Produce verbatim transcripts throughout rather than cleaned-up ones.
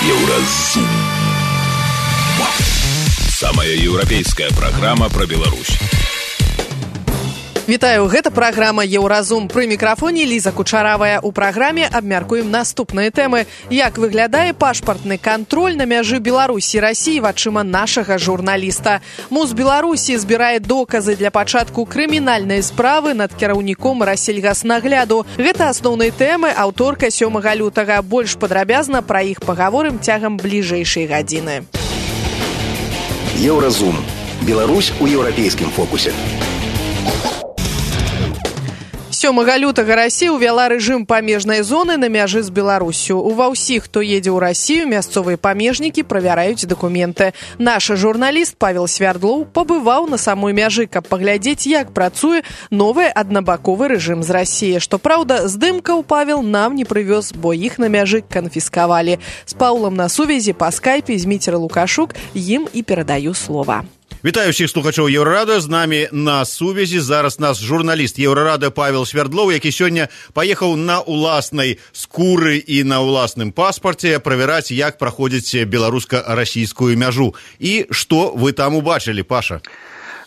Еўразум. Самая еўрапейская праграма пра Беларусь. Вітаю, гэта праграма «Еўразум». Пры мікрафоне Ліза Кучаравая. У праграме абмяркуем наступныя тэмы. Як выглядае пашпартны кантроль на мяжы Беларусі і Расіі вачыма нашага журналіста. МУЗ Беларусі збірае доказы для пачатку крымінальнай справы над кіраўніком Рассельгаснагляду. Гэта асноўныя тэмы аўторка сёмага лютага. Больш падрабязна пра іх пагаворым цягам бліжэйшай гадзіны. Еўразум. Беларусь у еўрапейскім фокусе. сёмага лютага Расія ўвяла рэжым памежнай зоны на мяжы з Беларусю. Ува ўсіх, хто едзе ў Расію, мясцовыя памежнікі правяраюць дакументы. Наш журналіст Павел Свярдлоў пабываў на самой мяжы, каб паглядзець, як працуе новы аднабаковы рэжым з Расіі. Што праўда, здымкаў Павел нам не прывёз, бо іх на мяжы канфіскавалі. З Паўлам на сувязі па скайпе Зміцер Лукашук, ім і перадаю слова. Вітаю всіх слухачоў Еўрарада. З намі на сувязі зараз наш журналіст Еўрарада Павел Свярдлоў, які сёння паехаў на уласнай скуры і на уласным паспарце правяраць, як праходзіць беларуска-расійскую мяжу. І што вы там убачылі, Паша?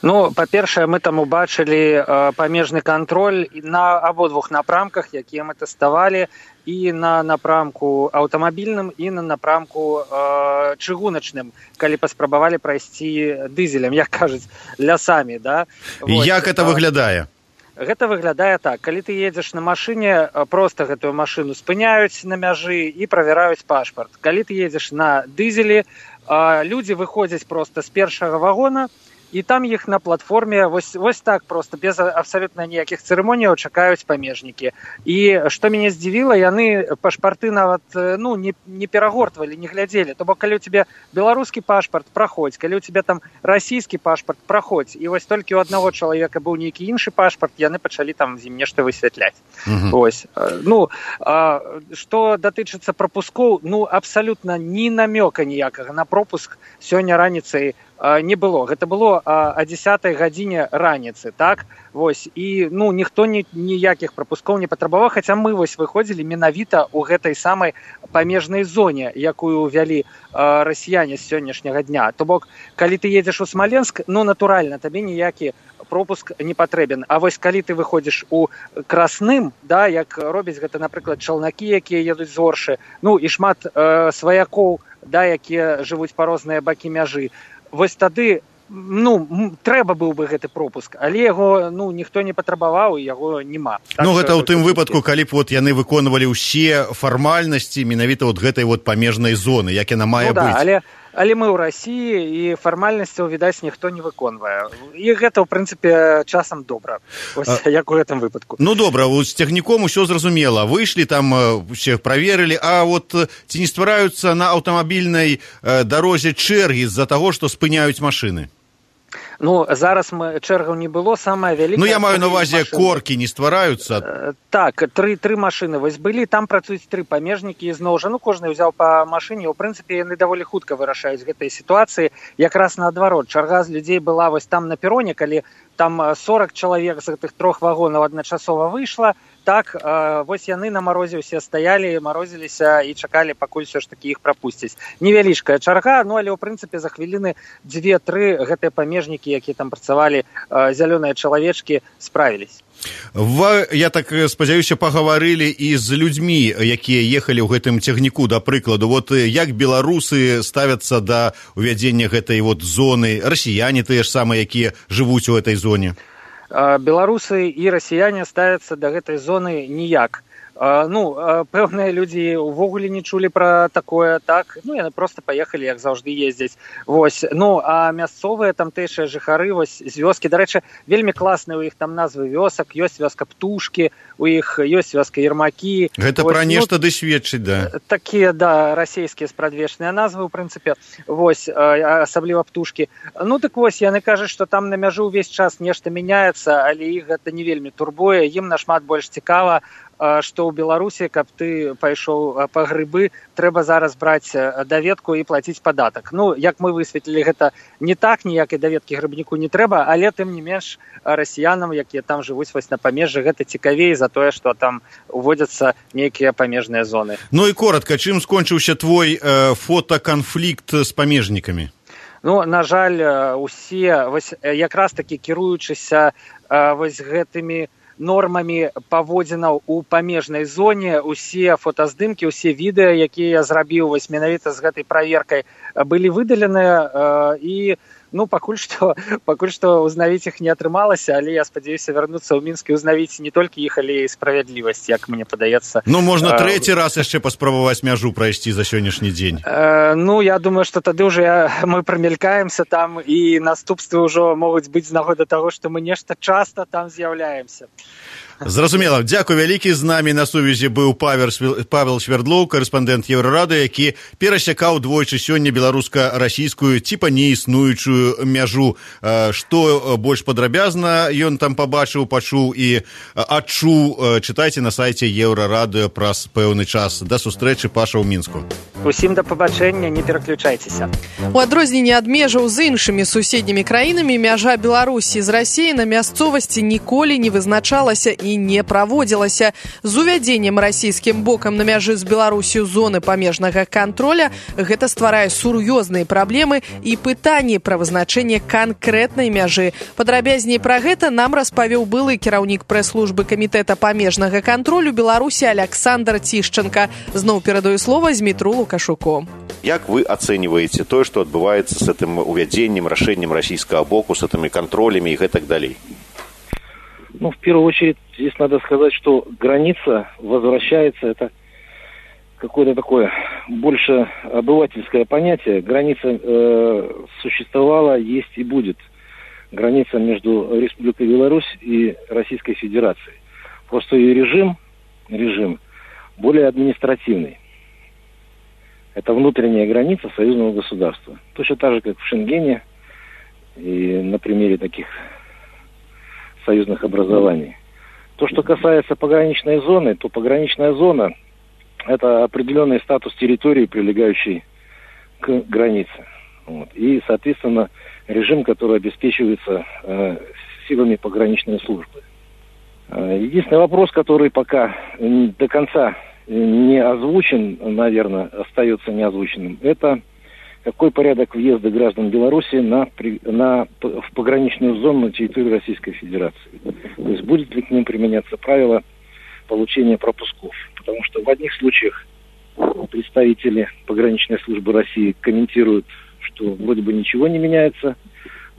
Ну, па-першае, мы там убачылі э, памежны кантроль на абодвух напрамках, якія мы тэставалі, і на напрамку аўтамабільным, і на напрамку э, чыгуначным, калі паспрабавалі прайсці дызелем, як кажуць, лясамі, да? Вот. Як гэта выглядае? Гэта выглядае так. Калі ты едзеш на машыне, проста гэтую машыну спыняюць на мяжы і правяраюць пашпарт. Калі ты едзеш на дызелі, э, людзі выходзяць проста з першага вагона, і там іх на платформе вось, вось так проста, без абсалютна ніякіх цырымоніяў чакаюць памежнікі. І што мяне здзівіла, яны пашпарты нават ну, не, не перагортвалі, не глядзелі. То бок, калі ў цябе беларускі пашпарт, праходзь, калі ў цябе там расійскі пашпарт, праходзь. І вось толькі ў аднаго чалавека быў нейкі іншы пашпарт, яны пачалі там з ім нешта высвятляць. Uh-huh. Вось. Ну, а, што датычыцца прапускоў, ну, абсалютна ні намёка ніякага на пропуск сёння раніцай не было. Гэта было о дзесятай гадзіне раніцы, так? Вось. І, ну, ніхто ні, ніякіх прапускоў не патрабаваў, хаця мы вось выходзілі менавіта ў гэтай самай памежнай зоне, якую ўвялі э, расіяне з сённяшняга дня. То бок, калі ты едзеш у Смаленск, ну, натуральна, табе ніякі пропуск не патрэбен. А вось калі ты выходзіш у Красным, да, як робяць гэта, напрыклад, чалнакі, якія едуць з Оршы, ну, і шмат э, сваякоў, да, якія жывуць па розныя бакі мяжы, вось тады, ну, трэба быў бы гэты пропуск, але яго, ну, ніхто не патрабаваў, і яго няма. Так, ну, гэта ў тым выпадку, калі б вот яны выконвалі ўсе фармальнасці менавіта от гэтай вот памежнай зоны, як яна мае ну, быць. Да, але, але мы ў Расіі, і фармальнасцяў, відаць, ніхто не выконвае. І гэта, ў прынцыпе, часам добра, ось, а, як у гэтым выпадку. Ну, добра, з цягніком усё зразумела. Выйшлі, там усе праверылі, а вот ці не ствараюцца на аўтамабільнай дарозе чэргі з-за таго, што спыняюць машыны? Ну, зараз мы, чэргаў не было, самая вялікая... Ну, я маю на ўвазе, коркі не ствараюцца. Э, так, тры, тры машыны вось былі, там працуюць тры памежнікі, і зноў жа, ну, кожны ўзяў па машыне, у прынцыпе, яны даволі хутка вырашаюць гэтай сітуацыі, якраз наадварот, чарга з людзей была вось там на пероне, калі там сорок чалавек з гэтых трох вагонаў адначасова выйшла, так, э, вось яны на марозе ўсе стаялі, марозіліся і чакалі, пакуль все ж такі іх прапусцяць. Невялічкая чарга, ну, але ў прынцыпе за хвіліны дзве-тры гэтыя памежнікі, якія там працавалі, э, зялёныя чалавечкі, справілись. Вы, я так спадзяюся, пагаварылі і з людзьмі, якія ехалі ў гэтым цягніку, да прыкладу. Вот як беларусы ставяцца да увядзення гэтай вот зоны, расіяне тыя ж самыя, якія жывуць у гэтай зоне? Беларусы і расіяне ставяцца да гэтай зоны ніяк. Ну, пэўныя людзі ўвогуле не чулі пра такое, так, ну, яны проста паехалі, як заўжды ездзяць. Вось, ну, а мясцовыя тамтэйшыя жыхары, вось, з вёскі, дарэчы, вельмі класныя ў іх там назвы вёсак, ёсць вёска Птушкі, у іх ёсць вёска Ермакі. Гэта вось, пра нешта ну, ды сведчыць, да. Такія, да, расійскія спрадвечныя назвы, ў прынцыпе, вось, асабліва Птушкі. Ну, так вось, яны кажуць, што там на мяжы ўвесь час нешта мяняецца, але іх гэта не вельмі турбуе, ім нашмат больш цікава што ў Беларусі, каб ты пайшоў па грыбы, трэба зараз браць даведку і плаціць падатак. Ну, як мы высветлілі, гэта не так, ніякай даведкі грыбніку не трэба, але тым не менш расіянам, якія там жывуць вось на памежжы, гэта цікавей за тое, што там уводзяцца нейкія памежныя зоны. Ну і коротка, чым скончыўся твой э, фотаканфлікт з памежнікамі? Ну, на жаль, усе вось якраз такі кіруючыся вось гэтымі нормамі паводзінаў у памежнай зоне, усе фотаздымкі, усе відэа, якія я зрабіў вось менавіта з гэтай праверкай, былі выдаленыя і ну, пакуль што, пакуль што узнавіць іх не атрымалася, але я спадзяюся вярнуцца ў Мінск і узнавіць не толькі іх, але і справядлівасць, як мне падаецца. Ну, можна трэці раз яшчэ паспрабаваць мяжу прайсці за сённяшні дзень. Э, ну, я думаю, што тады ўжо я, мы прамелькаемся там, і наступствы ўжо могуць быць з нагоды таго, што мы нешта часта там з'яўляемся. Зразумела. Дзякуй вялікі. З намі на сувязі быў Павел Свердлоў, карэспандэнт Еўрарады, які перасякаў двойчы сёння беларуска-расійскую ціпа неіснуючую мяжу. Што больш падрабязна ён там пабачыў, пачуў і адчуў, чытайце на сайце Еўрарады праз пэўны час. Да сустрэчы, Паша, ў Мінску. Усім да пабачэння, не пераключайцеся. У адрозненне ад межаў з іншымі суседнімі краінамі, мяжа Беларусі з Расіяй на мясцовасці ніколі не вызначалася і не праводзілася. З увядзеннем расійскім бокам на мяжы з Беларусю зоны памежнага контроля гэта стварае сур'ёзныя праблемы і пытанні пра вызначэнне канкрэтнай мяжы. Падрабязней пра гэта нам распавёў былы кіраўнік прэс-службы камітэта памежнага контролю Беларусі Александр Тишченко. Зноў перадаю слова Змітру Лукашуку. Як вы оцениваете то, что отбывается с этим увядением, решением российского боку, с этими контролями и так далее? Ну, в первую очередь, здесь надо сказать, что граница возвращается, это какое-то такое больше обывательское понятие. Граница э, существовала, есть и будет. Граница между Республикой Беларусь и Российской Федерацией. Просто ее режим, режим более административный. Это внутренняя граница союзного государства. Точно так же, как в Шенгене и на примере таких союзных образований. То, что касается пограничной зоны, то пограничная зона – это определенный статус территории, прилегающей к границе. Вот. И, соответственно, режим, который обеспечивается э, силами пограничной службы. Э, единственный вопрос, который пока до конца не озвучен, наверное, остается неозвученным, это какой порядок въезда граждан Беларуси на, на, в пограничную зону на территории Российской Федерации. То есть будет ли к ним применяться правило получения пропусков. Потому что в одних случаях представители пограничной службы России комментируют, что вроде бы ничего не меняется,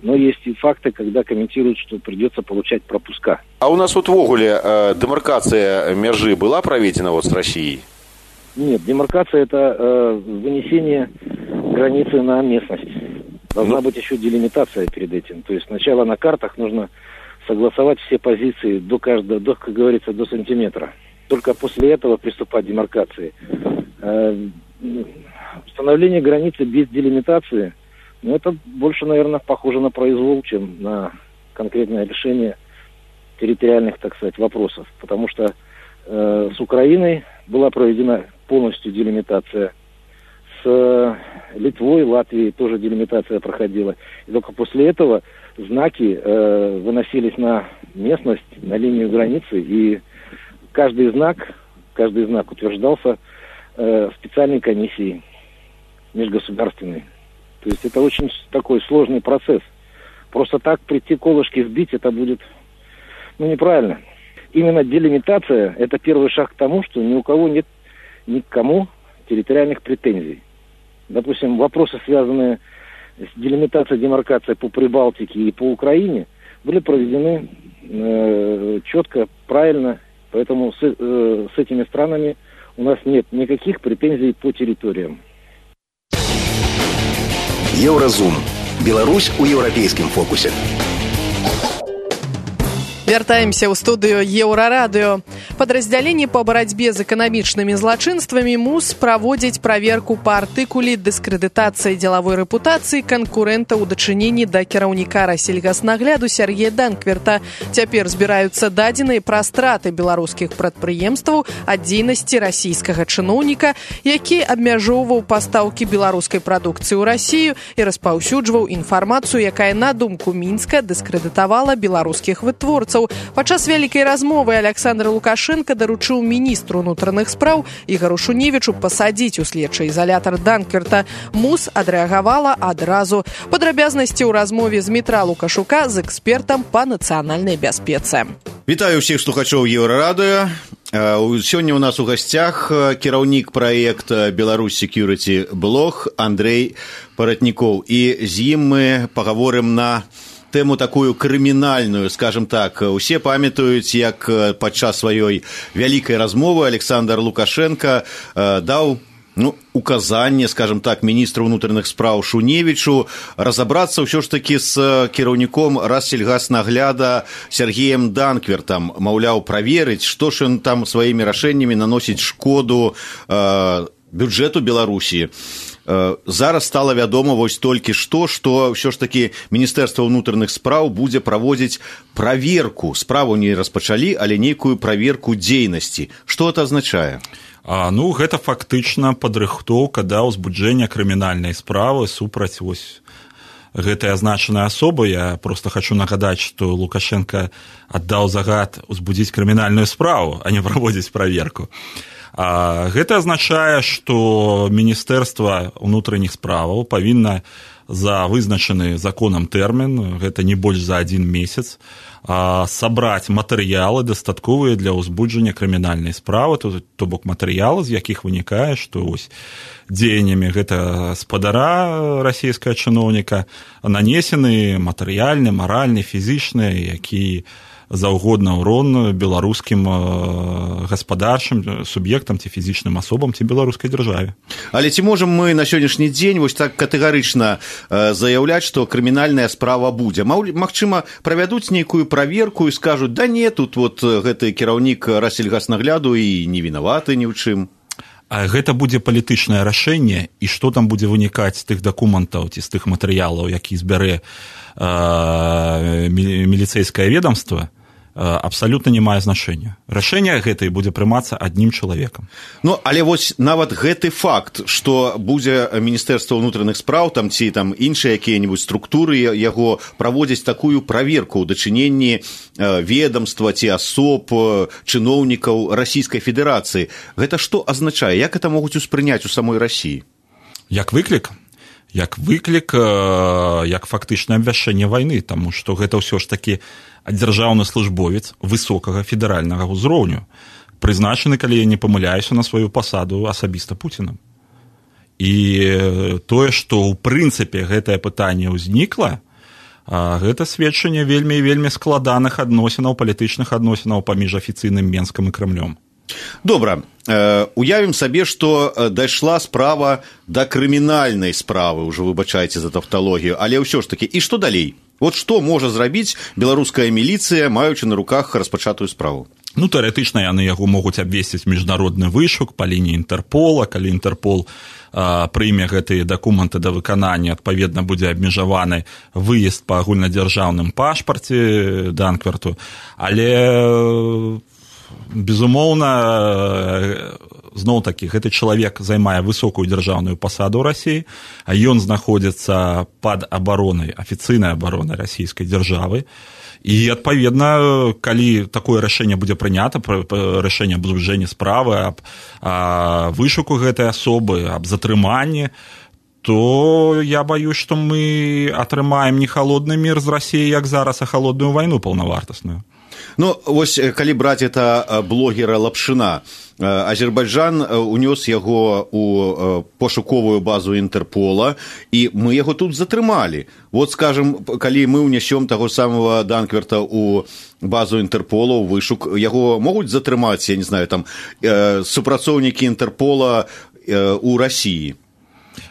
но есть и факты, когда комментируют, что придется получать пропуска. А у нас вот в Огуле э, демаркация межи была проведена вот с Россией? Нет, демаркация – это э, вынесение границы на местность. Должна ну... быть еще делимитация перед этим. То есть сначала на картах нужно согласовать все позиции до каждого, до, как говорится, до сантиметра. Только после этого приступать к демаркации. Э, установление границы без делимитации, ну, это больше, наверное, похоже на произвол, чем на конкретное решение территориальных, так сказать, вопросов. Потому что э, с Украиной была проведена полностью делимитация. С Литвой, Латвией тоже делимитация проходила. И только после этого знаки э, выносились на местность, на линию границы. И каждый знак, каждый знак утверждался э, специальной комиссией межгосударственной. То есть это очень такой сложный процесс. Просто так прийти колышки сбить, это будет, ну, неправильно. Именно делимитация – это первый шаг к тому, что ни у кого нет ни к кому территориальных претензий. Допустим, вопросы, связанные с делимитацией, демаркацией по Прибалтике и по Украине, были проведены э, четко, правильно. Поэтому с, э, с этими странами у нас нет никаких претензий по территориям. Еўразум. Беларусь у еўрапейскім фокусе. Вяртаемся ў студыю Еўрарадыё. Падраздзяленне па барацьбе з эканамічнымі злачынствамі мус праводзіць праверку па артыкуле дыскрэдытацыі дзелавой рэпутацыі канкурэнта ў дачыненні да кіраўніка рассельгаснагляду Сергея Данкверта. Цяпер збіраюцца дадзеныя пра страты беларускіх прадпрыемстваў ад дзейнасці расійскага чыноўніка, які абмяжоўваў пастаўкі беларускай прадукцыі ў Расію і распаўсюджваў інфармацыю, якая, на думку Мінска, дыскрэдытавала беларускіх вытворцаў. Падчас вялікай размовы Александр Лукашенко даручыў міністру ўнутраных спраў Ігару Шуневічу пасадзіць у следчы ізалятар Данкверта. МУС адрэагавала адразу. Падрабязнасці ў размове з Дмітра Лукашука з экспертам па нацыянальнай бяспецы. Вітаю ўсіх слухачоў Еўрарадыё. Сёння ў нас у гасцях кіраўнік праекта Беларусь Security Блог Андрей Паратнікоў. І з ім мы пагаворым на тэму такую крымінальную, скажем так. Усе памятаюць, як падчас сваёй вялікай размовы Александр Лукашенко даў ну, указанне, скажем так, міністру ўнутраных спраў Шуневічу разабрацца ўсё ж такі з кіраўніком Рассельгаснагляда Сергеем Данквертам. Маўляў, праверыць, што ж ён там сваімі рашэннямі наносіць шкоду э, бюджэту Беларусі. Зараз стала вядома вось толькі што, што ўсё ж такі Міністэрства ўнутраных спраў будзе праводзіць праверку. Справу не распачалі, але нейкую праверку дзейнасці. Што это азначае? А, ну, гэта фактычна падрыхтоўка да ўзбуджэння крымінальнай справы супраць вось гэтай азначанай асобы. Я проста хачу нагадаць, што Лукашенко аддаў загад узбудзіць крымінальную справу, а не праводзіць праверку. А гэта азначае, што Міністэрства ўнутраных справаў павінна за вызначаны законам тэрмін, гэта не больш за адзін месяц, сабраць матэрыялы дастатковыя для ўзбуджання крымінальнай справы, то, то бок матэрыялы, з якіх вынікае, што ось дзеяннямі гэта спадара расійскага чыноўніка нанесены матэрыяльны, маральны, фізічны, які заўгодна ўрон беларускім гаспадарчым суб'ектам ці фізічным асобам ці беларускай дзяржаве. Але ці можам мы на сённяшні дзень вось так катэгарычна заяўляць, што крымінальная справа будзе? Магчыма, правядуць нейкую праверку і скажуць: да не, тут вот гэты кіраўнік Рассельгаснагляду і не вінаваты ні ў чым. А гэта будзе палітычнае рашэнне, і што там будзе вынікаць з тых дакументаў ці з тых матэрыялаў, які збярэ міліцэйскае ведомства, абсалютна не мае значэння. Рашэнне гэтае будзе прымацца адным чалавекам. Ну, але вось нават гэты факт, што будзе Міністэрства ўнутраных спраў там ці там іншыя якія-небудзь структуры яго праводзяць такую праверку ў дачыненні ведомства ці асоб, чыноўнікаў Расійскай Федэрацыі. Гэта што азначае? Як гэта могуць успрыняць у самой Расіі? Як выклік? Як выклік, як фактычнае абвяшчэнне вайны, таму што гэта ўсё ж такі дзяржаўны службовец высокага федэральнага ўзроўню, прызначаны, калі я не памыляюся, на сваю пасаду асабіста Пуцінам. І тое, што ў прынцыпе гэтае пытанне ўзнікла, гэта сведчанне вельмі і вельмі складаных адносінаў, палітычных адносінаў паміж афіцыйным Менскам і Крамлём. Добра, уявім сабе, што дайшла справа да крымінальнай справы, ўжо выбачайце за тавталогію, але ўсё ж такі, і што далей? Вот што можа зрабіць беларуская міліцыя, маючы на руках распачатую справу? Ну, тэарэтычна яны яго могуць абвесціць міжнародны вышук па лініі Інтэрпола, калі Інтэрпол а, прыме гэтыя дакументы да выканання, адпаведна будзе абмежаваны выезд па агульнадзяржаўным пашпарце Данкверту, але безумоўна, зноў-такі, гэты чалавек займае высокую дзяржаўную пасаду ў Расіі, а ён знаходзіцца пад абаронай, афіцыйнай абаронай расійскай дзяржавы. І, адпаведна, калі такое рашэнне будзе прынята, рашэнне аб узбуджэнні справы, аб вышуку гэтай асобы, аб затрыманні, то я баюсь, што мы атрымаем не халодны мір з Расіі, як зараз, а халодную вайну паўнавартасную. Ну, вось, калі браць это блогера Лапшына, Азербайджан унёс яго ў пошуковую базу Інтэрпола, і мы яго тут затрымалі. Вот, скажем, калі мы ўнясём таго самого Данкверта ў базу Інтэрпола, ў вышук, яго могуць затрымаць, я не знаю, там, супрацоўнікі Інтэрпола ў Расіі?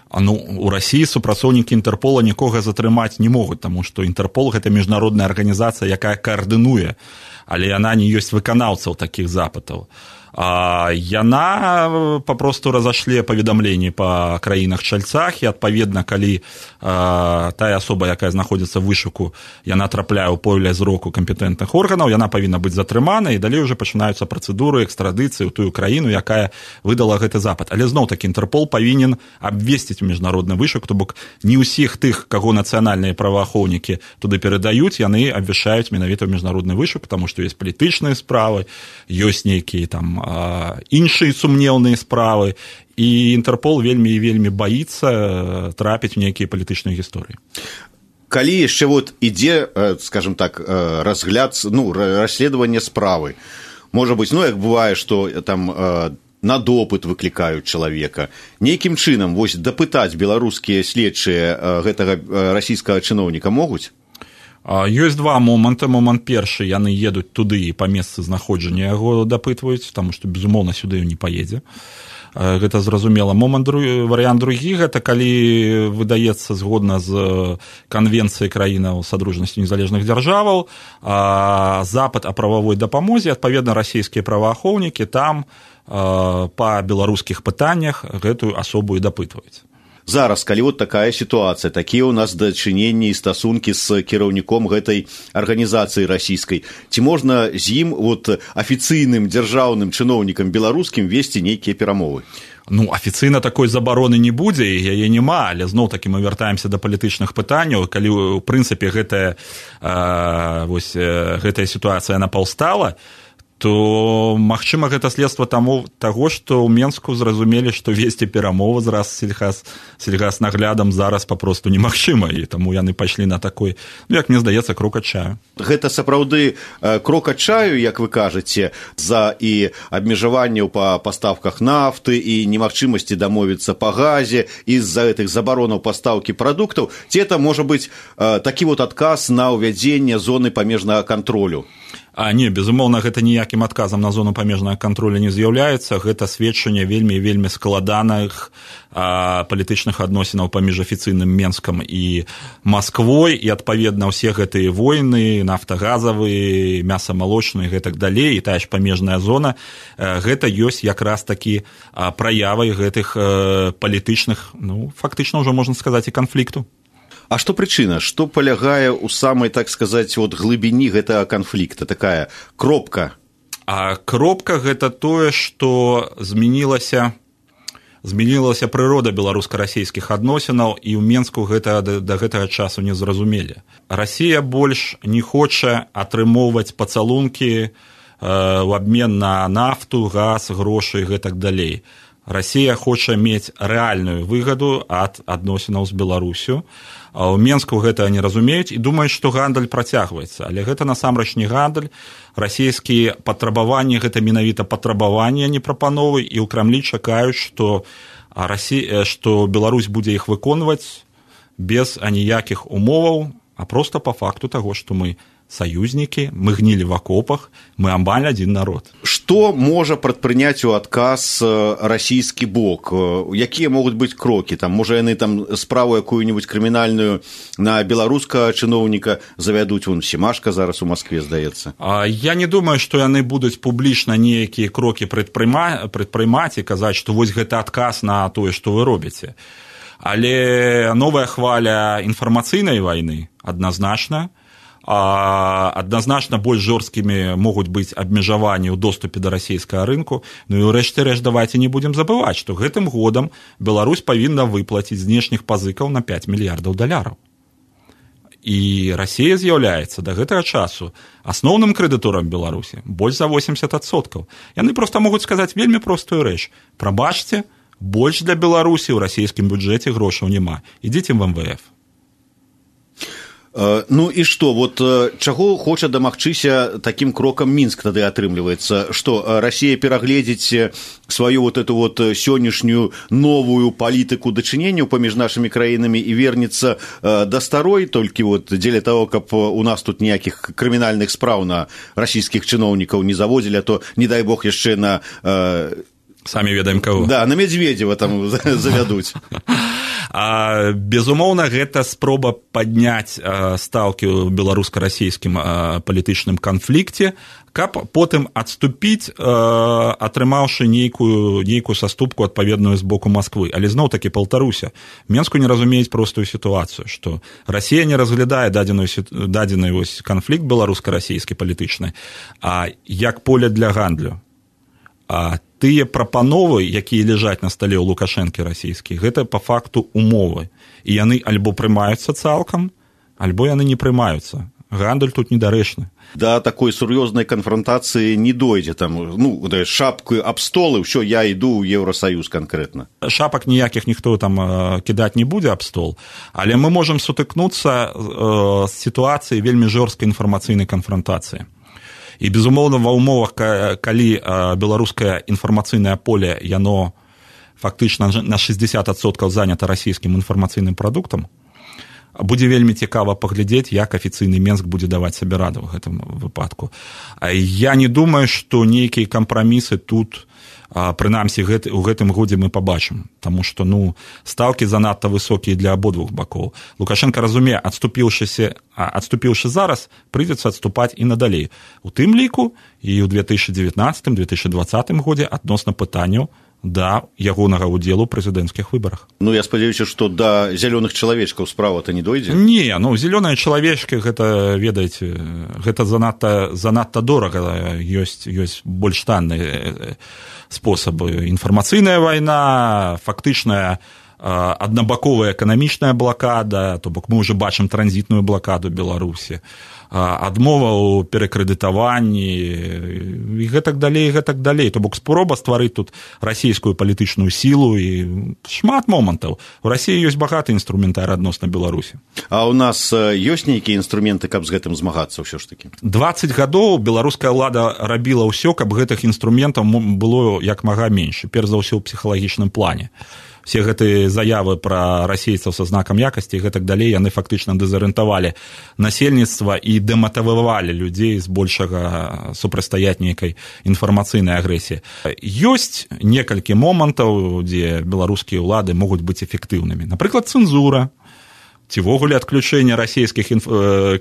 Ну, у Расіі супрацоўнікі Інтэрпола нікога затрымаць не могуць, таму што Інтэрпол – гэта міжнародная арганізацыя, якая каардынуе, але яна не ёсць выканаўцаў такіх запытаў. А яна папросту разашле паведамленні па краінах-чальцах, і, адпаведна, калі а, тая асоба, якая знаходзіцца ў вышуку, яна трапляе ў поле зроку кампетэнтных органаў, яна павінна быць затрымана, і далей уже пачынаюцца працэдуры экстрадыцыі ў тую краіну, якая выдала гэты запыт. Але зноў-такі Інтэрпол павінен абвесціць міжнародны вышук, то бок не ўсіх тых, каго нацыянальныя праваахоўнікі туды перадаюць, яны абвяшчаюць менавіта ў міжнародны вышук, таму што ёсць палітычныя справы, ёсць нейкія там іншыя сумнеўныя справы, і Інтэрпол вельмі і вельмі баіцца трапіць у нейкія палітычныя гісторыі. Калі яшчэ вот ідзе, скажем так, разгляд, ну, расследаванне справы, можа быць, ну, як бывае, што там на допыт выклікаюць чалавека, нейкім чынам вось дапытаць беларускія следчыя гэтага расійскага чыноўніка могуць? Ёсць два моманты. Момант першы, яны едуць туды і па месцы знаходжання яго дапытваюць, таму што, безумоўна, сюды не паедзе. Гэта зразумела. Момант другі, варыянт другі, гэта калі выдаецца згодна з канвенцыяй краінаў Садружнасці незалежных дзяржаваў запыт о прававой дапамозе, адпаведна, расійскія праваахоўнікі там па беларускіх пытаннях гэтую асобу і дапытваюць. Зараз, калі вот такая сітуацыя, такія ў нас дачыненні і стасункі з кіраўніком гэтай арганізацыі расійскай, ці можна з ім вот афіцыйным дзяржаўным чыноўнікам беларускім весці нейкія перамовы? Ну, афіцыйна такой забароны не будзе, яе няма, але зноў-такі мы вяртаемся да палітычных пытанняў, калі, у прынцыпе, гэтая, а, вось, гэтая сітуацыя напаўстала, то, магчыма, гэта следства таму, таго, што ў Менску зразумелі, што весці перамовы з Рассельхаз, сельгаснаглядам зараз папросту немагчыма, і таму яны пайшлі на такой, ну, як мне здаецца, крок адчаю. Гэта сапраўды крок адчаю, як вы кажаце, за і абмежаванняў па пастаўках нафты, і немагчымасці дамовіцца па газе, і з-за гэтых забаронаў пастаўкі прадуктаў, ці это можа быць такі вот адказ на ўвядзенне зоны памежнага кантролю? А не, безумоўна, гэта ніякім адказам на зону памежнага кантролю не з'яўляецца. Гэта сведчанне вельмі і вельмі складаных а, палітычных адносінаў паміж афіцыйным Менскам і Масквой, і, адпаведна, ўсе гэтыя войны, нафтагазавыя, мясамалочныя і гэтак далей, і тая ж памежная зона, гэта ёсць якраз такі праявай гэтых палітычных, ну, фактычна ўжо можна сказаць, і канфлікту. А што прычына? Што палягае ў самай, так сказаць, вот, глыбіні гэтага канфлікта? Такая кропка? А кропка – гэта тое, што змянілася, змянілася прырода беларуска-расійскіх адносінаў, і ў Менску гэта да, да гэтага часу не зразумелі. Расія больш не хоча атрымоўваць пацалункі э, ў абмен на нафту, газ, грошы і гэтак далей. Расія хоча мець рэальную выгаду ад адносінаў з Беларусю. А ў Менску гэта не разумеюць і думаюць, што гандаль працягваецца. Але гэта насамрэч не гандаль. Расійскія патрабаванні – гэта менавіта патрабаванні, а не прапановы. І ў Крамлі чакаюць, што, Расі... што Беларусь будзе іх выконваць без аніякіх умоваў, а проста па факту таго, што мы саюзнікі, мы гнілі в акопах, мы амаль адзін народ. Што можа прадпрыняць у адказ расійскі бок? Якія могуць быць крокі? Там, можа, яны там справу якую-нибудь крымінальную на беларускага чыноўніка завядуць? Вон Семашка зараз у Маскве, здаецца. А я не думаю, што яны будуць публічна нейкія крокі прадпрымаць і казаць, што вось гэта адказ на тое, што вы робіце. Але новая хваля інфармацыйнай вайны адназначна. А адназначна больш жорсткімі могуць быць абмежаванні ў доступе да расійскага рынку. Ну і ўрэшце рэшт давайце не будзем забываць, што гэтым годам Беларусь павінна выплаціць знешніх пазыкаў на пяць мільярдаў даляраў. І Расія з'яўляецца да гэтага часу асноўным крэдыторам Беларусі больш за восемьдесят адсоткаў. Яны проста могуць сказаць вельмі простую рэч. Прабачце, больш для Беларусі ў расійскім бюджэце грошаў няма. Ідзіце в эм вэ эф. Ну і што, вот чаго хоча дамагчыся такім крокам Мінск тады атрымліваецца? Што, Расія перагледзіць сваю вот эту вот сённяшнюю новую палітыку дачыненняў паміж нашымі краінамі і вернецца да старой, толькі вот дзеля таго, каб у нас тут ніякіх крымінальных спраў на расійскіх чыноўнікаў не заводзілі, а то, не дай бог, яшчэ на... Самі ведаем каго. Да, на Медведзева там завядуць. А, безумоўна, гэта спроба падняць а, стаўкі ў беларуска-расійскім а, палітычным канфлікце, каб потым адступіць, а, атрымаўшы нейкую, нейкую саступку адпаведную з боку Масквы. Але зноў-такі паўтаруся, Менску не разумеюць простую сітуацыю, што Расія не разглядае дадзеную, дадзены вось канфлікт беларуска-расійскі палітычны, а як поле для гандлю. А тыя прапановы, якія ляжаць на стале ў Лукашэнкі расійскі, гэта па факту умовы. І яны альбо прымаюцца цалкам, альбо яны не прымаюцца. Гандаль тут недарэчны. Да такой сур'ёзнай канфронтацыі не дойдзе там, ну, шапку аб стол і ўсё, я іду ў Еўрасаюз канкрэтна. Шапак ніякіх ніхто там кідаць не будзе аб стол, але мы можам сутыкнуцца з сітуацыяй вельмі жорсткай інфармацыйнай канфронтацыі. І, безумоўна, ва ўмовах, калі беларускае інфармацыйнае поле, яно фактычна на шэсцьдзесят адсоткаў занята расійскім інфармацыйным прадуктам, будзе вельмі цікава паглядзець, як афіцыйны Менск будзе даваць сабе раду ў гэтым выпадку. Я не думаю, што нейкія кампрамісы тут, прынамсі, у гэтым годзе мы пабачым, таму што, ну, стаўкі занадта высокія для абодвух бакоў. Лукашенко разумее, адступіўшыся, адступіўшы зараз, прыйдзецца адступаць і надалей. У тым ліку і ў две тысячы дзевятнаццатым - две тысячи двадцатым годзе адносна пытанняў да ягонага ўдзелу ў прэзідэнцкіх выбарах. Ну, я спадзяюся, што да зялёных чалавечкаў справа-то не дойдзе? Не, ну, зялёныя чалавечкі, гэта, ведаеце, гэта занадта, занадта дорага, ёсць, ёсць больш танныя спосабы. Інфармацыйная вайна, фактычная аднабаковая эканамічная блакада, то бок мы ўжо бачым транзітную блакаду Беларусі, адмова ў перакрэдытаванні і гэтак далей, гэтак далей. То бок спроба стварыць тут расійскую палітычную сілу і шмат момантаў. У Расіі ёсць багаты інструментар адносна Беларусі. А ў нас ёсць нейкія інструменты, каб з гэтым змагацца ўсё ж такі? дваццаць гадоў беларуская ўлада рабіла ўсё, каб гэтых інструментаў было як мага менш, перш за ўсё ў псіхалагічным плане. Все гэтыя заявы пра расейцаў са знакам якасці і гэтак далей, яны фактычна дэзарыентавалі насельніцтва і дэматывавалі людзей з большага супрацьстаяць нейкай інфармацыйнай агрэсіі. Ёсць некалькі момантаў, дзе беларускія ўлады могуць быць эфектыўнымі. Напрыклад, цэнзура, ці ввогуле адключэнне расійскіх інф...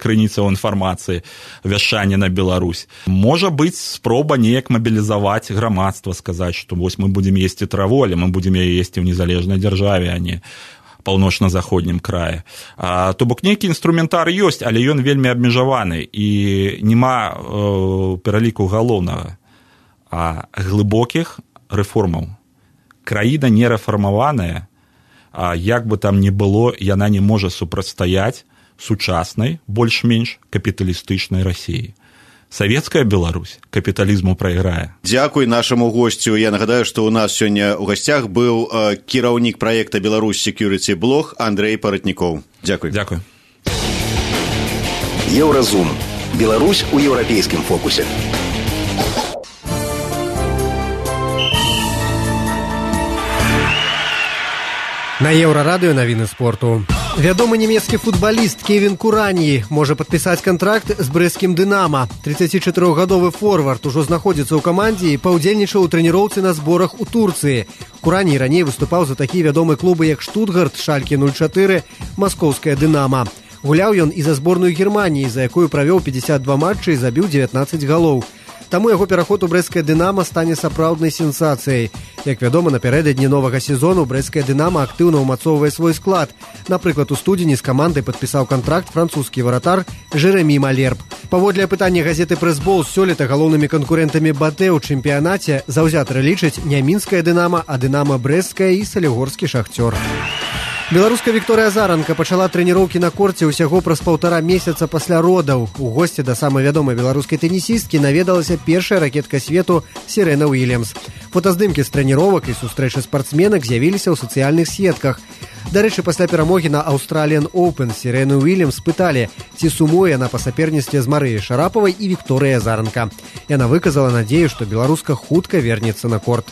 крыніцаў інфармацыі, вяшчання на Беларусь. Можа быць спроба неяк мабілізаваць грамадства, сказаць, што вось мы будзем есці траву, але мы будзем яе есці ў незалежнай дзяржаве, а не паўночна-заходнім краі. А, то бок нейкі інструментар ёсць, але ён вельмі абмежаваны і няма э, пераліку галоўнага, а глыбокіх рэформаў. Краіна не рэфармаваная, а як бы там ні было, яна не можа супрацьстаяць сучаснай, больш-менш капіталістычнай Расіі. Савецкая Беларусь капіталізму прайграе. Дзякуй нашаму госцю. Я нагадаю, што ў нас сёння ў гасцях быў э, кіраўнік праекта Беларусь Security Блог Андрэй Паратнікоў. Дзякуй. Дзякуй. Еўразум. Беларусь у еўрапейскім фокусе. На Еўрарадыё навіны спорту. Вядомы нямецкі футбаліст Кевін Кураньі можа падпісаць кантракт з брэсцкім «Дынама». трыццацічатырохгадовы форвард ужо знаходзіцца ў камандзе і паўдзельнічаў у трэніроўцы на зборах у Турцыі. Кураньі раней выступаў за такія вядомыя клубы, як Штутгарт, Шальке нуль чатыры, Маскоўская «Дынама». Гуляў ён і за зборную Германіі, за якую правёў пятьдесят два матчы і забіў дзевятнаццаць галоў. Таму яго пераход у брэсцкае «Дынама» стане сапраўднай сенсацыяй. Як вядома, напярэдадні новага сезону брэсцкае «Дынама» актыўна ўмацоўвае свой склад. Напрыклад, у студзені з камандай падпісаў кантракт французскі варатар Жэрамі Малерб. Паводле апытання газеты «Прэсбол», сёлета галоўнымі канкурэнтамі «Батэ» ў чэмпіянаце заўзятары лічаць не мінскае «Дынама», а «Дынама» брэсцкае і салігорскі «Шахцёр». Беларуска Вікторыя Заранка пачала трэніроўкі на корце ўсяго праз паўтара месяца пасля родаў. У госці да самай вядомай беларускай тэнісісткі наведалася першая ракетка свету Серена Уільямс. Фотаздымкі з трэніровак і сустрэчы спартсменак з'явіліся ў сацыяльных сетках. Дарэчы, пасля перамогі на Australian Open Серену Уільямс спыталі, ці сумуе яна па саперніцтве з Марыяй Шарапавай і Вікторыя Заранка. Яна выказала надзею, што беларуска хутка вернецца на корт.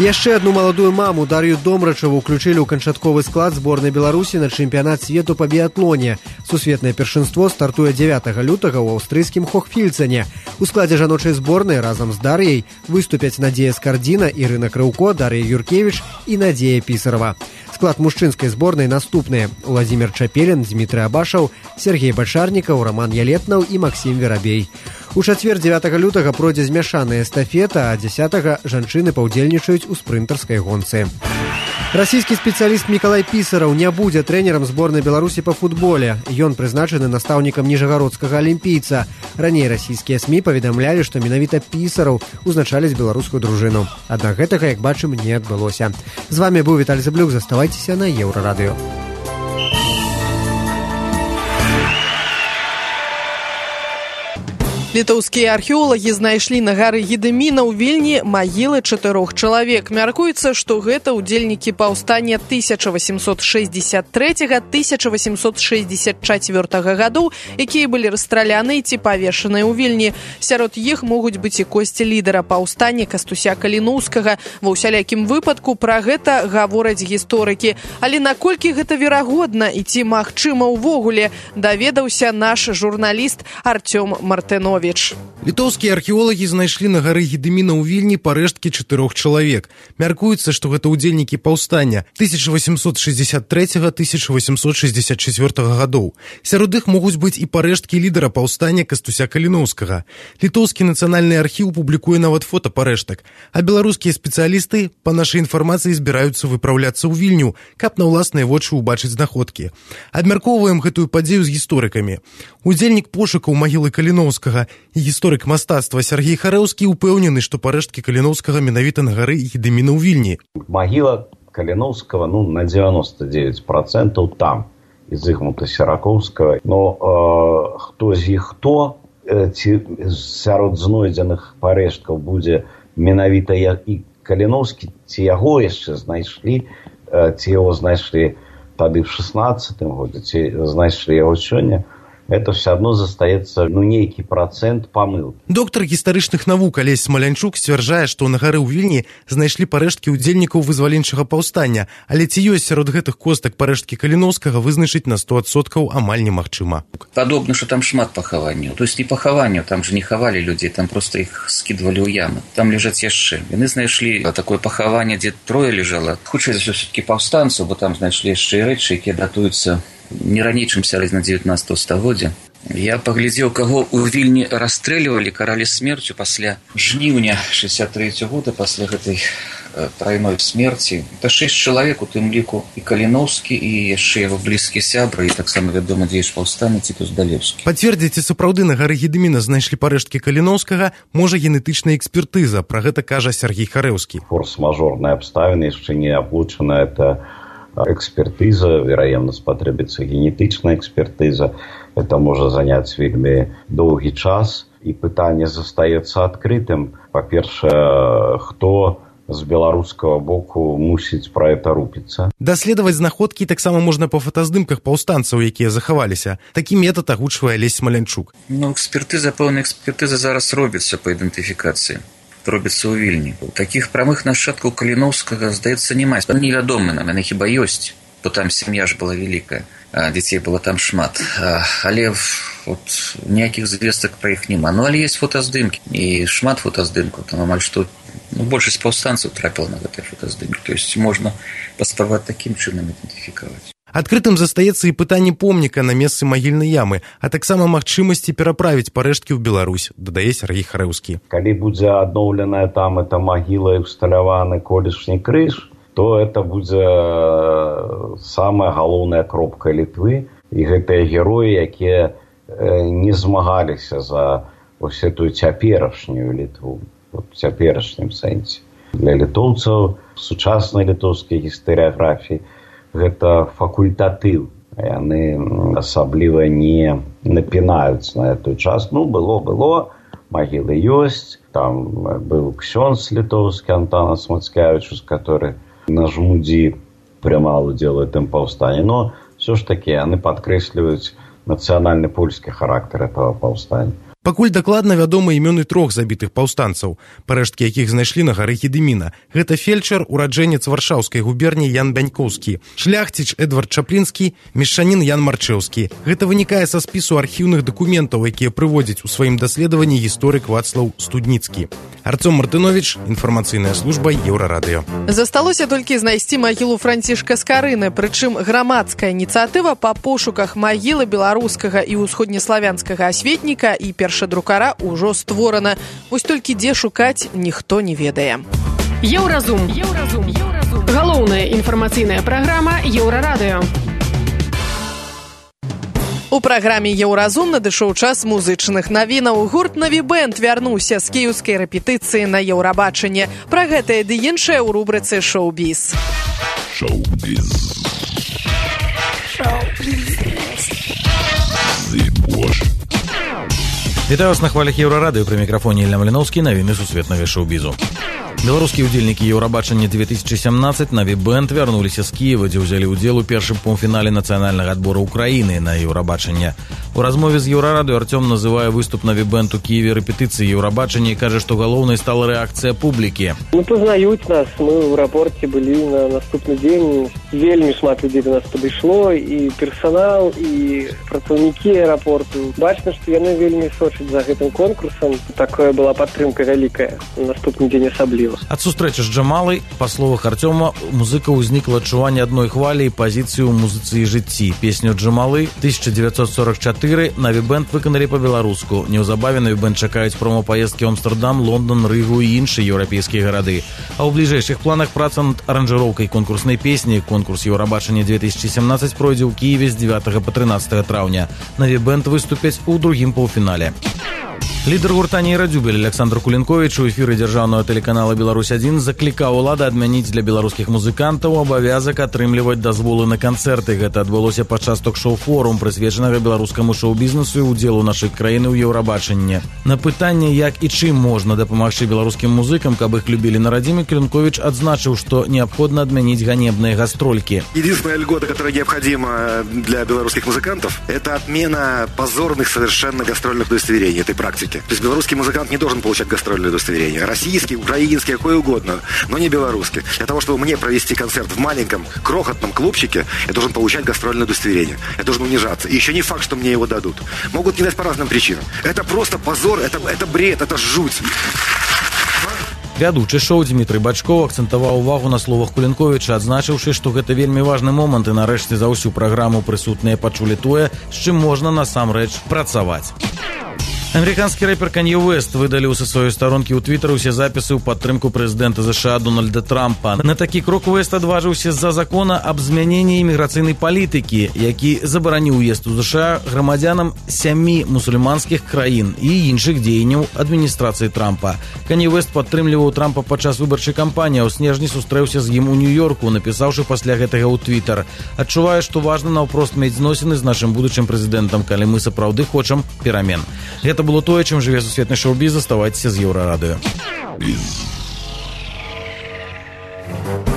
Яшчэ адну маладую маму, Дар'ю Домрачаву, уключылі ў канчатковы склад зборнай Беларусі на чэмпіянат свету па біятлоне. Сусветнае першынство стартуе дзевятага лютага ў аўстрыйскім Хохфільцане. У складзе жаночай зборнай разам з Дар'яй выступяць Надзея Скардзіна, Ірына Крыўко, Дар'я Юркевіч і Надзея Пісарава. Склад мужчынскай зборнай наступныя: Владзімир Чапелін, Дмітрый Абашаў, Сергей Бачарнікаў, Роман Ялетнаў і Максім Верабей. У чацвер дзевятага лютага пройдзе змяшаная эстафета, а дзесятага жанчыны паўдзельнічаюць у спрынтарскай гонцы. Расійскі спецыяліст Мікалай Пісараў не будзе трэнерам зборнай Беларусі па футболе. Ён прызначаны настаўнікам ніжагародскага алімпійца. Раней расійскія СМІ паведамлялі, што менавіта Пісараў узначаліць беларускую дружыну. Аднак гэтага, як бачым, не адбылося. З вами быў Віталь Зыблюк. Заставайцеся на Еўрарадыё. Літоўскія археолагі знайшлі на гары Гедэміна ў Вільні магілы чатырох чалавек. Мяркуецца, што гэта ўдзельнікі паўстання тысяча васемсот шэсцьдзесят трэцяга - тысяча васемсот шэсцьдзесят чацвёртага гадоў, якія былі расстраляны ці павешаныя ў Вільні. Сярод іх могуць быць і косці лідара паўстання Кастуся Каліноўскага. Ва ўсялякім выпадку пра гэта гавораць гісторыкі. Але наколькі гэта верагодна і ці магчыма ўвогуле, даведаўся наш журналіст Артём Мартынович. Літоўскія археолагі знайшлі на гары Гедэміна ў Вільні парэшткі чатырох чалавек. Мяркуецца, што гэта ўдзельнікі паўстання тысяча васемсот шэсцьдзесят трэцяга - тысяча васемсот шэсцьдзесят чацвёртага гадоў. Сярод іх могуць быць і парэшткі лідара паўстання Кастуся Каліноўскага. Літоўскі нацыянальны архіў публікуе нават фота парэштак. А беларускія спецыялісты, па нашай інфармацыі, збіраюцца выпраўляцца ў Вільню, каб на ўласныя вочы ўбачыць знаходкі. Абмяркоўваем гэтую падзею з гісторыкамі. Удзельнік пошукаў магілы Каліноўскага і гісторык мастацтва Сергей Харэўскі ўпэўнены, што парэшткі Каліноўскага менавіта на гары Гедэміна ў Вільні. Магіла Каліноўскага ну, на девяносто девять процентов там, і Зыгмунта Серакоўскага. Но э, хто з іх хто, э, ці сярод знойдзеных парэшткаў будзе менавіта і Каліноўскі, ці яго яшчэ знайшлі, э, ці яго знайшлі тады в шестнадцатым годзе, ці знайшлі яго сёння, это все одно застаецца ну, нейкі процент памылкі. Доктар гістарычных навук Алесь Смалянчук сцвярджае, што на гары ў Вільні знайшлі парэшткі ўдзельнікаў вызваленчага паўстання, але ці ёсць сярод гэтых костак парэшткі Каліноўскага, вызначыць на сто адсоткаў амаль немагчыма. Падобна, што там шмат пахаванняў. То есть не пахаванняў, там же не хавалі людзей, там просто іх скідвалі ў ямы. Там ляжаць яшчэ. Яны знайшлі такое пахаванне, дзе трое ляжала. Хутчэй за ўсё все-таки паўстанцаў, бо там знайшлі яшчэ і рэчы, якія датуюцца не раней, чым сярэдзіна дзевятнадцатага стагоддзя. Я паглядзеў, каго ў Вільні расстрэльвалі, каралі смерцю пасля жніўня шэсцьдзесят трэцяга года, пасля гэтай э, трайной смерці. Это шэсць чалавек, у тым ліку і Каліноўскі, і яшчэ яго блізкі сябры, і таксама вядомы дзеяч паўстання Цітус Далеўскі. Пацвердзіць, сапраўды на гары Гедэміна знайшлі парэшткі Каліноўскага, можа генетычная экспертыза, пра гэта кажа Сергей Харэўскі. Форс-мажорныя абставіны яшчэ не аблучана, это экспертиза, вероятно, спотребится генетичная экспертиза. Это может занять вельми долгий час. И питание застаецца открытым. По-перше, кто з беларускага боку мусіць пра это рупіцца. Даследаваць знаходкі таксама можна па фотаздымках паўстанцаў, якія захаваліся. Такі метад агучвае Алесь Смалянчук. Ну, экспертыза, пэўная экспертыза зараз робіцца па ідэнтыфікацыі. Робіцца ў Вільні. Такіх прамых нашчадкаў Каліноўскага, здаецца, няма. Невядома нам, яны хіба ёсць, бо там сям'я ж была вялікая, а дзяцей было там шмат. Але вот, ніякіх звестак пра іх няма. Ну, але ёсць фотаздымкі, і шмат фотаздымкаў. Там амаль што ну, большасць паўстанцаў трапіла на гэтыя фотаздымкі. То есть можна паспрабаваць такім чынам ідэнтыфікаваць. Адкрытым застаецца і пытанне помніка на месцы магільнай ямы, а таксама магчымасці пераправіць парэшткі ў Беларусь, дадае Сергей Харэўскі. Калі будзе адноўленая там эта магіла і усталяваны колішні крыж, то это будзе самая галоўная кропка Літвы, і гэтыя героі, якія не змагаліся за ось эту цяперашнюю Літву, в цяперашнім сэнсе. Для літоўцаў сучаснай літоўскай гістарыяграфіі гэта факультатыў. Яны асабліва не напінаюць на эту час. Ну, было, было, магілы ёсць. Там быў ксёндз літоўскі Антанас Мацкевічус, который на Жмудзі прымаў удзел у этом паўстанні. Но все ж таки яны падкрэсліваюць нацыянальны польскі характар этого паўстання. Пакуль дакладна вядомы імёны трох забітых паўстанцаў, парэшткі якіх знайшлі на гары Гедыміна. Гэта фельчар, ураджэнец варшаўскай губерніі Ян Бянькоўскі, шляхціч Эдвард Чаплінскі, мешчанін Ян Марчэўскі. Гэта вынікае са спісу архіўных дакументаў, якія прыводзяць у сваім даследаванні гісторык Вацлаў Студніцкі. Арцём Мартынович, інфармацыйная служба Еўрарадыё. Засталося толькі знайсці магілу Францішка Скарыны, прычым грамадская ініцыятыва па пошуках магілы беларускага і ўсходнеславянскага асветніка і першадрукара ўжо створана. Вось толькі дзе шукаць, ніхто не ведае. Еўразум. Еўразум. Еўразум. Галоўная інфармацыйная праграма Еўрарадыё. У праграме «Еўразум» надышоў час музычных навінаў. Гурт «Наві Бэнд» вярнуўся з кіеўскай рэпетыцыі на Еўрабачанне. Пра гэтае ды іншае ў рубрыцы «Шоу-біз». Шоу-біз. Вітаю вас на хвалях Еўрарадыё, пры мікрафоне Ілья Маліноўскі, навіны сусветнага шоу-бізу. Беларускія ўдзельнікі Еўрабачання две тысячи семнадцать «Наві Бэнд» вярнуліся з Кіева, дзе ўзялі ўдзел у першым паўфінале нацыянальнага адбора Украіны на Еўрабачанне. У размове з Еўрарадыё Арцём называе выступ «Наві Бэнд» у Кіеве рэпетыцыі Еўрабачання і кажа, што галоўнай стала рэакцыя публікі. Ну, пазнаюць нас. Мы ў аэрапорце былі на наступны дзень. Вельмі шмат людзей да нас падышло, і персанал, і працаўнікі аэрапорту. Бачна, што яны вельмі сочаць за гэтым конкурсам. Такая была падтрымка вялікая. На наступны дзень асабліва. Ад сустрэчы з Джамалай, па словах Арцёма, у музыкаў узнікла адчуванне адной хвалі і пазіцыі ў музыцы і жыцці. Песню Джамалы тысяча девятьсот сорок четыре «Наві Бэнд» выканалі па-беларуску. Неўзабаве «Наві Бэнд» чакаюць промо-паездкі ў Амстэрдам, Лондон, Рыгу і іншыя еўрапейскія гарады. А ў бліжэйшых планах праца над аранжыроўкай конкурснай песні. Конкурс Еўрабачання две тысячи семнадцать пройдзе ў Кіеве з дзевятага па трынаццатае траўня. «Наві Бэнд» выступяць у другім паўфінале. Лідар гурта «Нейрадзюбель» Александр Кулінковіч у эфіры дзяржаўнага тэлеканала «Беларусь адзін» заклікаў улады адмяніць для беларускіх музыкантаў абавязак атрымліваць дазволы на канцэрты. Гэта адбылося падчас ток-шоу «Форум», прысвечанага беларускаму шоу-бізнесу і удзелу нашай краіны ў Еўрабачанні. На пытанне, як і чым можна дапамагчы беларускім музыкам, каб іх любілі на радзіме, Кулінковіч адзначыў, што неабходна адмяніць ганебныя гастролькі. Единственная льгота, которая необходима для белорусских музыкантов, это отмена позорных совершенно гастрольных удостоверений этой практики. То есть белорусский музыкант не должен получать гастрольные удостоверения. Российский, украинский, какой угодно, но не белорусский. Для того, чтобы мне провести концерт в маленьком, крохотном клубчике, я должен получать гастрольное удостоверение. Я должен унижаться. И еще не факт, что мне его дадут. Могут не дать по разным причинам. Это просто позор, это, это бред, это жуть. Вядучы шоу Дмітрый Бачкоў акцэнтаваў увагу на словах Кулінковіча, адзначыўшы, што гэта вельмі важны момант і нарэшце за ўсю праграму прысутныя пачулі тое, з чым можна насамрэч працаваць. Американскі рэпер Канье Уэст выдаліў са сваёй старонкі ў Твіттары ўсе запісы ў падтрымку прэзідэнта ЗША Дональда Трампа. На такі крок Уэст адважыўся з-за закона аб змяненні іміграцыйнай палітыкі, які забараніў уезд у ЗША грамадзянам сямі мусульманскіх краін і іншых дзеянняў адміністрацыі Трампа. Канье Уэст падтрымліваў Трампа падчас выбарчай кампаніі, а ў снежні сустрэўся з ім у Нью-Йорку, напісаўшы пасля гэтага ў Твіттар: «Адчуваю, што важна наўпрост мець зносіны з нашым будучым прэзідэнтам, калі мы сапраўды хочам перамен». Гэта было тое, чым жыве сусветны шоу-біз. Заставайцеся з Еўрарадыё.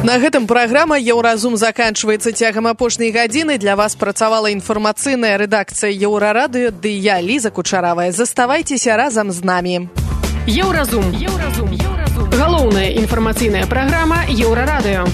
На гэтым праграма «Еўразум» заканчваецца. Цягам апошняй гадзіны для вас працавала інфармацыйная рэдакцыя Еўрарадыё, ды я, Ліза Кучаравая. Заставайцеся разам з намі. Еўразум. Еўразум. Еўразум. Галоўная інфармацыйная праграма Еўрарадыё.